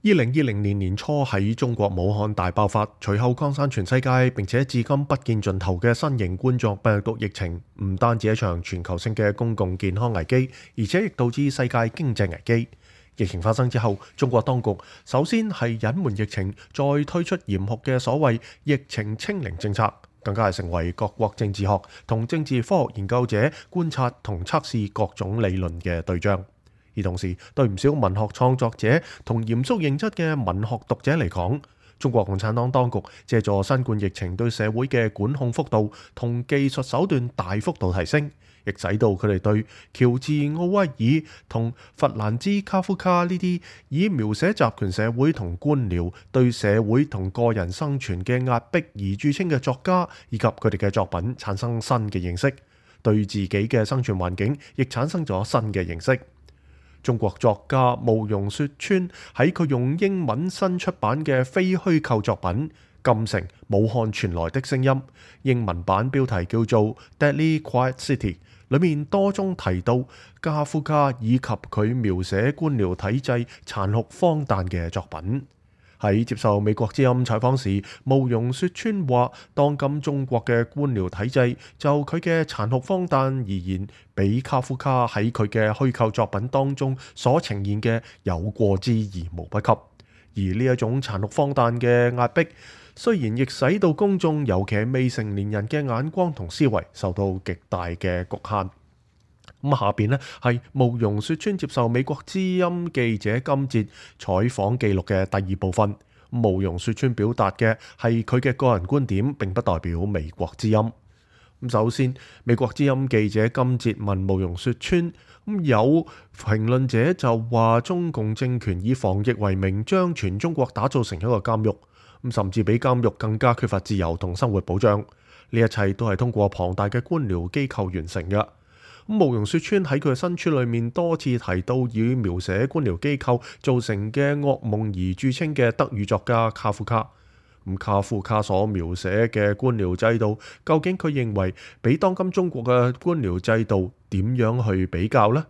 2020年年初喺中國武漢大爆發，隨後擴散全世界，並且至今不見盡頭嘅新型冠狀病毒疫情，唔單止一場全球性嘅公共健康危機，而且亦導致世界經濟危機。疫情發生之後，中國當局首先係隱瞞疫情，再推出嚴酷嘅所謂疫情清零政策，更加係成為各國政治學同政治科學研究者觀察同測試各種理論嘅對象。而同時，對唔少文學創作者同嚴肅認真嘅文學讀者嚟講，中國共產黨當局借助新冠疫情對社會嘅管控幅度同技術手段大幅度提升，亦使到佢哋對喬治奧威爾同弗蘭茲卡夫卡呢啲以描寫集權社會同官僚對社會同個人生存嘅壓迫而著稱嘅作家以及佢哋嘅作品產生新嘅認識，對自己嘅生存環境亦產生咗新嘅認識。中國作家慕容雪村喺佢用英文新出版嘅非虛構作品《禁城：武漢傳來的聲音》，英文版標題叫做《Deadly Quiet City》，裏面多宗提到卡夫卡以及佢描寫官僚體制殘酷荒誕嘅作品。喺接受美國之音採訪時，慕容雪村話：當今中國嘅官僚體制就佢嘅殘酷荒誕而言，比卡夫卡喺佢嘅虛構作品當中所呈現嘅有過之而無不及。而呢一種殘酷荒誕嘅壓迫，雖然亦使到公眾，尤其係未成年人嘅眼光同思維受到極大嘅局限。咁下邊呢係慕容雪村接受美國之音記者金哲採訪記錄嘅第二部分。慕容雪村表達嘅係佢嘅個人觀點，並不代表美國之音。首先，美國之音記者金哲問慕容雪村，有評論者就話中共政權以防疫為名，將全中國打造成一個監獄，甚至比監獄更加缺乏自由同生活保障。呢一切都係通過龐大嘅官僚機構完成嘅。慕容雪村喺佢嘅新書裏面多次提到以描寫官僚機構造成嘅噩夢而著稱嘅德語作家卡夫卡。卡夫卡所描寫嘅官僚制度，究竟佢認為比當今中國嘅官僚制度點樣去比較呢？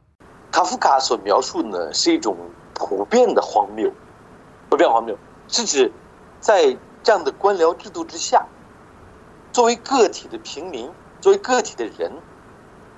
卡夫卡所描述呢，是一種普遍的荒謬，是指在這樣的官僚制度之下，作為個體的平民，作為個體的人，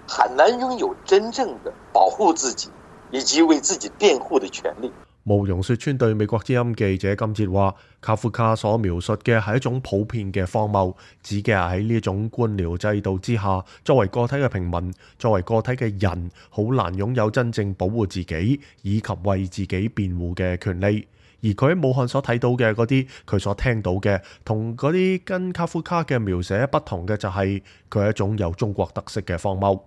很難擁有真正的保護自己以及為自己辯護的權利。慕容雪村對美國之音記者金哲話：卡夫卡所描述嘅係一種普遍嘅荒謬，指嘅係喺呢一種官僚制度之下，作為個體嘅平民，作為個體嘅人，好難擁有真正保護自己以及為自己辯護嘅權利。而佢喺武漢所睇到嘅嗰啲，佢所聽到嘅，同嗰啲跟卡夫卡嘅描寫不同嘅就係佢係一種有中國特色嘅荒謬。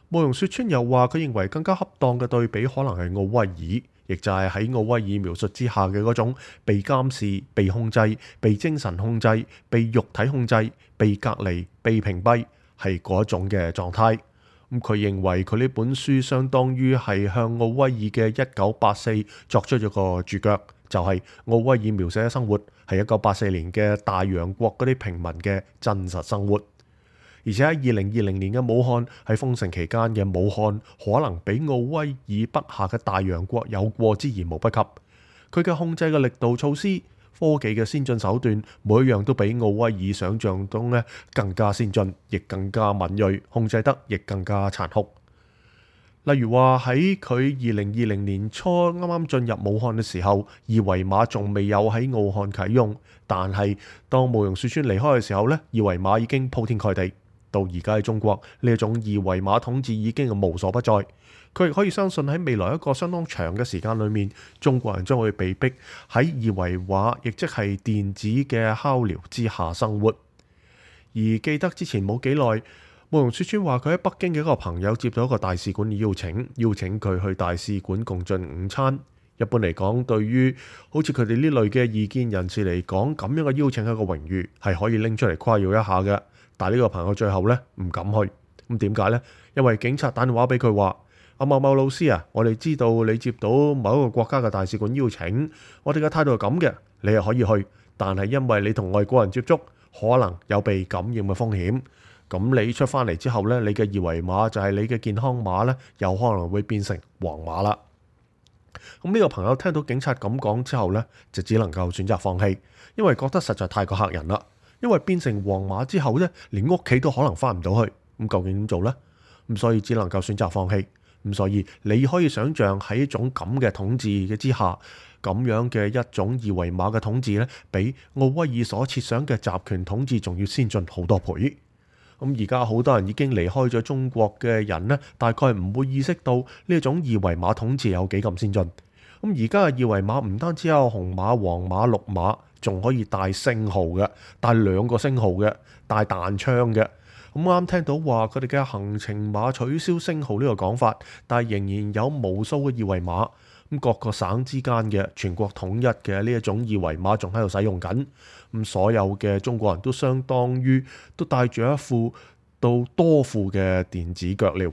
慕容雪村又話：佢認為更加恰當嘅對比可能係奧威爾，亦就係喺奧威爾描述之下嘅嗰種被監視、被控制、被精神控制、被肉體控制、被隔離、被屏蔽，係嗰一種嘅狀態。佢認為佢呢本書相當於係向奧威爾嘅1984作出咗個注腳，就係奧威爾描寫嘅生活係1984年嘅大洋國嗰啲平民嘅真實生活。而且喺2020年嘅武漢，喺封城期間嘅武漢，可能比奧威爾筆下嘅大洋國有過之而無不及。佢嘅控制嘅力度、措施、科技嘅先進手段，每一樣都比奧威爾想象中咧更加先進，亦更加敏銳，控制得亦更加殘酷。例如話喺佢2020年初啱啱進入武漢嘅時候，二維碼仲未有喺武漢啟用，但係當慕容雪村離開嘅時候咧，二維碼已經鋪天蓋地。到而家喺中國，呢一種二維碼統治已經無所不在。佢亦可以相信喺未來一個相當長嘅時間裏面，中國人將會被逼喺二維碼，亦即係電子嘅敲療之下生活。而記得之前冇幾耐，慕容雪村話佢喺北京嘅一個朋友接到一個大使館嘅邀請佢去大使館共進午餐。一般嚟講，對於好似佢哋呢類嘅異見人士嚟講，咁樣嘅邀請係一個榮譽，係可以拎出嚟誇耀一下嘅。但係呢個朋友最後呢唔敢去，咁點解呢？因為警察打電話俾佢話：阿某某老師啊，我哋知道你接到某一個國家嘅大使館邀請，我哋嘅態度係咁嘅，你係可以去，但係因為你同外國人接觸，可能有被感染嘅風險。咁你出翻嚟之後呢，你嘅二維碼就係你嘅健康碼呢，有可能會變成黃碼啦。咁呢個朋友聽到警察咁講之後呢，就只能夠選擇放棄，因為覺得實在太過嚇人啦。因為變成黃碼之後呢，連屋企都可能翻唔到去，咁究竟點做呢？咁所以只能夠選擇放棄。咁所以你可以想象喺一種咁嘅統治嘅之下，咁樣嘅一種二維碼嘅統治呢，比奧威爾所設想嘅集權統治仲要先進好多倍。咁而家好多人已經離開咗中國嘅人呢，大概唔會意識到呢一種二維碼統治有幾咁先進。咁而家嘅二維碼唔單止有紅碼、黃碼、綠碼，仲可以帶星號嘅，帶2個星號嘅，帶彈槍嘅。咁啱聽到話佢哋嘅行程碼取消星號呢個講法，但係仍然有無數嘅二維碼。咁各個省之間嘅全國統一嘅呢一種二維碼仲喺度使用緊。咁所有嘅中國人都相當於都帶住一副到多副嘅電子腳鐐。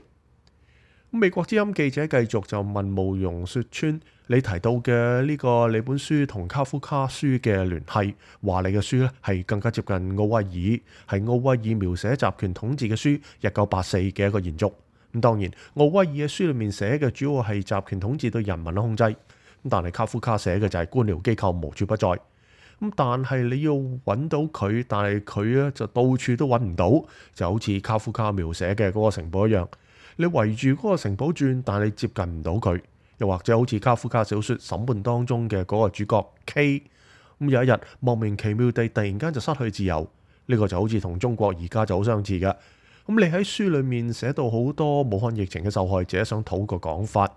美國之音記者繼續就問慕容雪村，你提到嘅呢個你本書同卡夫卡書嘅聯繫，話你嘅書咧係更加接近奧威爾，係奧威爾描寫集權統治嘅書1984嘅一個延續。咁當然，奧威爾嘅書裏面寫嘅主要係集權統治對人民嘅控制，咁但係卡夫卡寫嘅就係官僚機構無處不在。咁但係你要揾到佢，但係佢咧就到處都揾唔到，就好似卡夫卡描寫嘅嗰個城堡一樣。你圍住嗰個城堡轉，但係你接近唔到佢。又或者好似卡夫卡小說《審判》當中嘅嗰個主角 K， 咁有一日莫名其妙地突然間就失去自由。呢個就好似同中國而家就好相似嘅。咁你喺書裏面寫到好多武漢疫情嘅受害者想討個講法，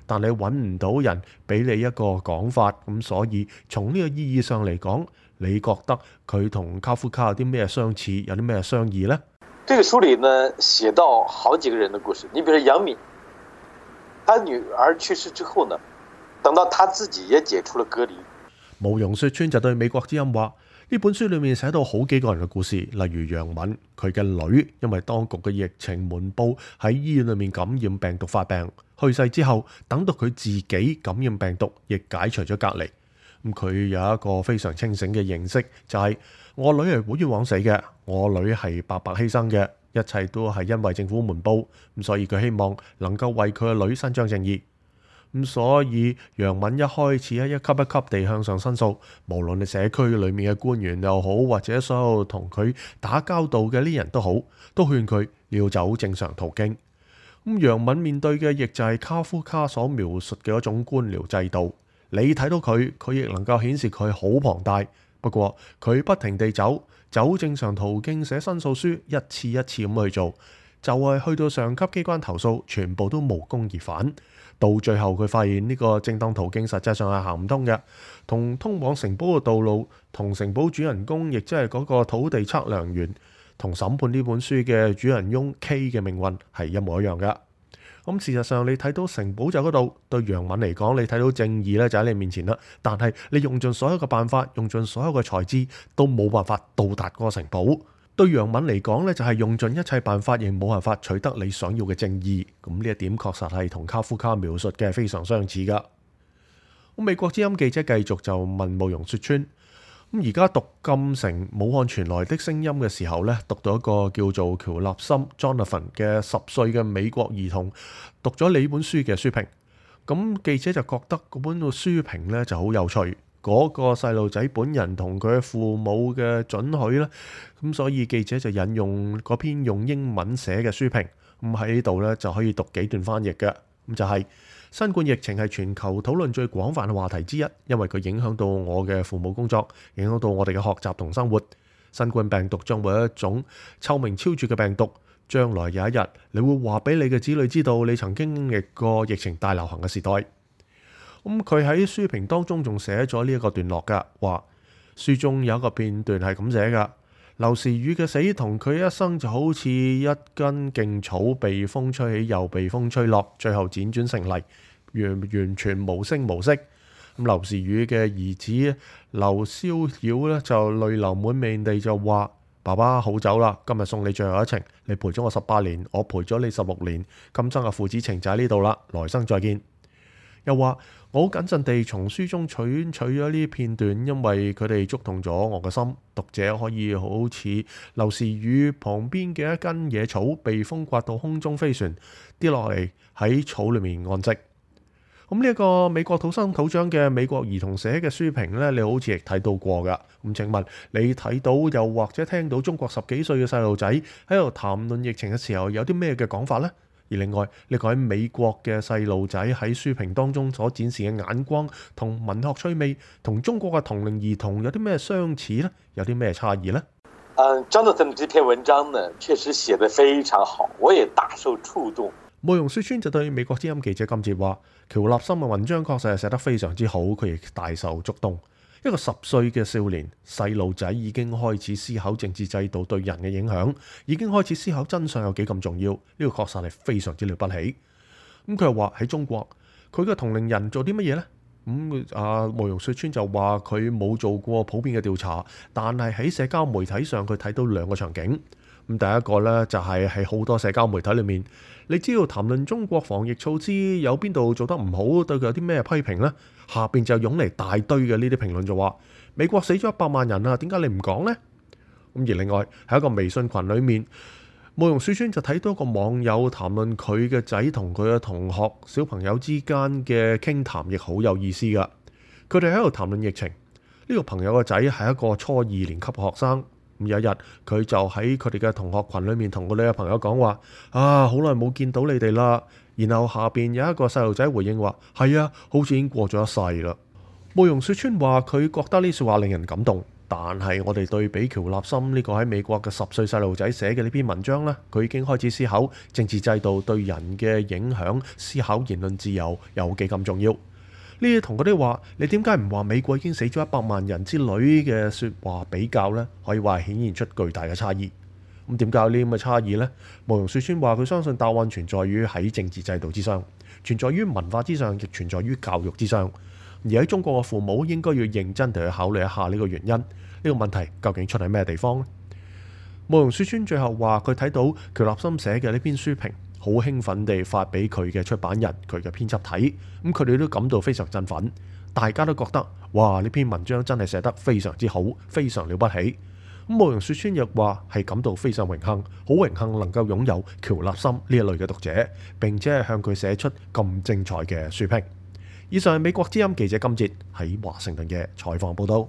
但你揾唔到人俾你一個講法，咁所以從呢個意義上嚟講，你覺得佢同卡夫卡有啲咩相似，有啲咩相異呢？這個書裏呢，寫到好幾個人的故事。你比如楊敏，他女兒去世之後呢，等到他自己也解除了隔離。慕容雪村就對美國之音話：呢本書裏面寫到好幾個人嘅故事，例如楊敏，佢嘅女因為當局嘅疫情瞞報喺醫院裏面感染病毒發病，去世之後，等到佢自己感染病毒，亦解除咗隔離。咁佢有一個非常清醒嘅認識，就係我女係好冤枉死嘅，我女係白白犧牲嘅，一切都係因為政府瞞報，咁所以佢希望能夠為佢嘅女伸張正義。咁所以楊敏一開始一級一級地向上申訴，無論你社區裏面嘅官員又好，或者所有同佢打交道嘅呢人都好，都勸佢要走正常途徑。咁楊敏面對嘅亦就係卡夫卡所描述嘅一種官僚制度。你睇到佢，佢亦能夠顯示佢好龐大。不過佢不停地走正常途徑，寫申訴書，一次一次咁去做，就係去到上級機關投訴，全部都無功而返。到最後佢發現呢個正當途徑實際上係行唔通嘅，同通往城堡嘅道路，同城堡主人公，亦即係嗰個土地測量員，同審判呢本書嘅主人翁 K 嘅命運係一模一樣嘅。咁事實上你睇到城堡就嗰度，對楊敏嚟講，你睇到正義咧就喺你面前啦。但係你用盡所有嘅辦法，用盡所有嘅才智，都冇辦法到達嗰個城堡。對楊敏嚟講咧，就係用盡一切辦法，亦冇辦法取得你想要嘅正義。咁呢一點確實係同卡夫卡描述嘅非常相似噶。咁美國之音記者繼續就問慕容雪村：咁而家讀禁城武漢傳來的聲音嘅時候咧，讀到一個叫做喬納森 Jonathan 嘅10歲嘅美國兒童讀咗你本書嘅書評。咁記者就覺得嗰本個書評咧就好有趣。嗰個細路仔本人同佢嘅父母嘅准許啦，咁所以記者就引用嗰篇用英文寫嘅書評，咁喺呢度咧就可以讀幾段翻譯嘅，咁就係新冠疫情係全球討論最廣泛嘅話題之一，因為佢影響到我嘅父母工作，影響到我哋嘅學習同生活。新冠病毒將會係一種臭名昭著嘅病毒，將來有一日你會話俾你嘅子女知道你曾經經歷過疫情大流行嘅時代。咁佢喺書評當中仲寫咗呢一個段落㗎，話書中有一個片段係咁寫㗎：劉時宇嘅死同佢一生就好似一根勁草被風吹起又被風吹落，最後輾轉成泥，完全無聲無息。咁劉時宇嘅兒子劉逍遙咧就淚流滿面地就話：爸爸好走啦，今日送你最後一程，你陪咗我18年，我陪咗你16年，今生嘅父子情就喺呢度啦，來生再見。又話我好謹慎地從書中取咗呢片段，因為佢哋觸動咗我嘅心。讀者可以好似劉時宇旁邊嘅一根野草被風刮到空中飛旋，跌落嚟喺草裏面安息。咁呢一個美國土生土長嘅美國兒童寫嘅書評呢，你好似亦睇到過㗎。咁請問你睇到又或者聽到中國10幾歲嘅細路仔喺度談論疫情嘅時候，有啲咩嘅講法呢？而另外，呢個喺美國嘅細路仔喺書評當中所展示嘅眼光同文學趣味，同中國嘅同齡兒童有啲咩相似呢？有啲咩差異呢？Jonathan 這篇文章呢，確實寫得非常好，我也大受觸動。慕容雪村就對美國之音記者金哲話：喬立森嘅文章確實係寫得非常之好，佢亦大受觸動。一個10歲嘅少年細路仔已經開始思考政治制度對人嘅影響，已經開始思考真相有幾咁重要，呢個確實係非常之了不起。咁佢又話喺中國，佢嘅同齡人做啲乜嘢呢？慕容雪村就話佢冇做過普遍嘅調查，但係喺社交媒體上佢睇到2個場景。咁第一個呢，就係喺好多社交媒體裏面，你只要談論中國防疫措施有邊度做得唔好，對佢有啲咩批評呢？下邊就湧嚟大堆嘅呢啲評論就話美國死咗100萬人啊，點解你唔講呢？咁而另外喺一個微信群裏面，慕容雪村就睇到一個網友談論佢嘅仔同佢嘅同學小朋友之間嘅傾談，亦好有意思噶。佢哋喺度談論疫情，呢個朋友嘅仔係一個初2年級嘅學生。咁有一日，佢就喺佢哋嘅同學群裏面同佢哋嘅朋友講話：好耐冇見到你哋啦。然後下邊有一個細路仔回應話：係啊，好似已經過咗一世啦。慕容雪村話佢覺得呢句話令人感動，但係我哋對比喬立森呢個喺美國嘅10歲細路仔寫嘅呢篇文章呢，佢已經開始思考政治制度對人嘅影響，思考言論自由有幾咁重要。呢啲同嗰啲話你點解唔話美國已經死咗100萬人之類嘅説話比較呢，可以話係顯現出巨大嘅差異。咁點解有呢咁嘅差異呢？慕容雪村話佢相信答案存在於喺政治制度之上，存在於文化之上，亦存在於教育之上。而喺中國嘅父母應該要認真地去考慮一下呢個原因，呢個問題究竟出喺咩地方呢？慕容雪村最後話佢睇到喬立森寫嘅呢篇書評，好興奮地發俾佢嘅出版人、佢嘅編輯睇，咁佢哋都感到非常振奮，大家都覺得哇，呢篇文章真係寫得非常之好，非常了不起。咁慕容雪村亦話係感到非常榮幸，好榮幸能夠擁有喬立森呢一類嘅讀者，並且係向佢寫出咁精彩嘅書評。以上係美國之音記者金哲喺華盛頓嘅採訪報道。